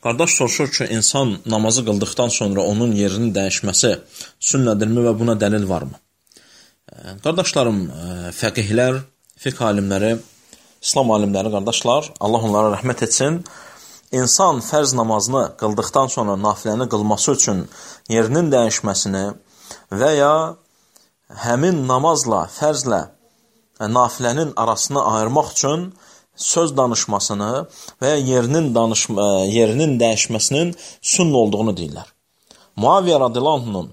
Qardaş soruşur ki, insan namazı qıldıqdan sonra onun yerinin dəyişməsi sünnədirmi və buna dəlil varmı? Qardaşlarım, fəqihlər, fiqh alimləri, İslam alimləri, qardaşlar, Allah onlara rəhmət etsin. İnsan fərz namazını qıldıqdan sonra nafiləni qılması üçün yerinin dəyişməsini və ya həmin namazla, fərzlə nafilənin arasını ayırmaq üçün söz danışmasını və ya yerinin dəyişməsinin sünn olduğunu deyirlər. Muaviyyə radiyallahu anh'ın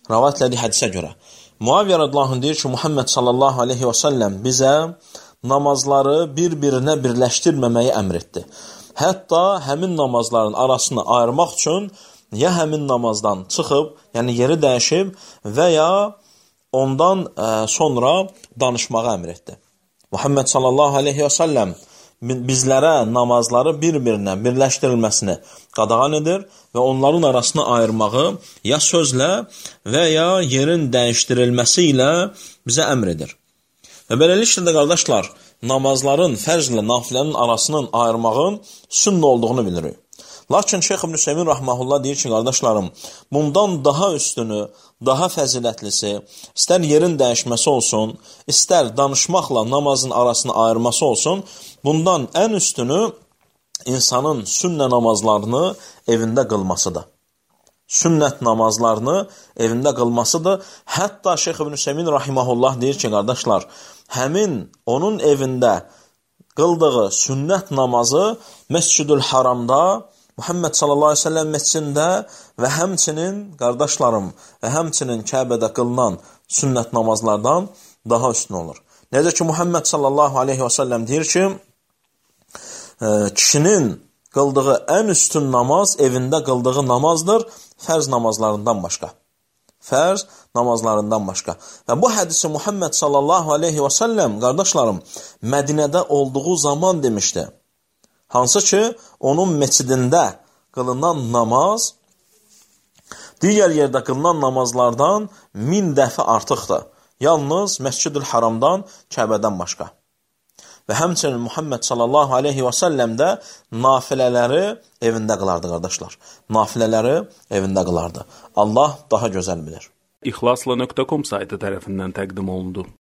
rivayət etdiyi hədisə görə Muaviyyə radiyallahu anh deyir ki, Muhammed sallallahu aleyhi və səlləm bizə namazları bir-birinə birləşdirməməyi əmr etdi. Hətta həmin namazların arasını ayırmaq üçün ya həmin namazdan çıxıb, yəni yeri dəyişib və ya ondan sonra danışmağı əmr etdi. Muhammed sallallahu aleyhi və səlləm bizlərə namazları bir-birinə birləşdirilməsini qadağan edir və onların arasını ayırmağı ya sözlə və ya yerin dəyişdirilməsi ilə bizə əmr edir. Və beləliklə də qardaşlar, namazların fərzlə nafilənin arasının ayırmağın sünnə olduğunu bilirik. Lakin Şeyx İbn Hüseymin rahmehullah deyir ki, qardaşlarım, bundan daha üstünü, daha fəzilətlisi, istər yerin dəyişməsi olsun, istər danışmaqla namazın arasını ayırması olsun, bundan ən üstünü insanın sünnə namazlarını evində qılmasıdır. Sünnət namazlarını evində qılmasıdır. Hətta Şeyx İbn Hüseymin rahimehullah deyir ki, qardaşlar, həmin onun evində qıldığı sünnət namazı Məscidül Haramda, Muhammed sallallahu aleyhi ve sellem məscidində və həmçinin, qardaşlarım, və həmçinin Kəbədə qılınan sünnət namazlardan daha üstün olur. Necə ki, Muhammed sallallahu aleyhi ve sellem deyir ki, kişinin qıldığı ən üstün namaz evində qıldığı namazdır, fərz namazlarından başqa. Fərz namazlarından başqa. Və bu hədisi Muhammed sallallahu aleyhi ve sellem, qardaşlarım, Mədinədə olduğu zaman demişdi. Hansı ki, onun məscidində qılınan namaz digər yerdə qılınan namazlardan 1000 dəfə artıqdır. Yalnız Məscidül Haramdan, Kəbədən başqa. Və həmçinin Muhammed sallallahu aleyhi və səlləm də nafilələri evində qılardı, qardaşlar. Nafilələri evində qılardı. Allah daha gözəl bilir. İxlasla.com saytı tərəfindən təqdim olundu.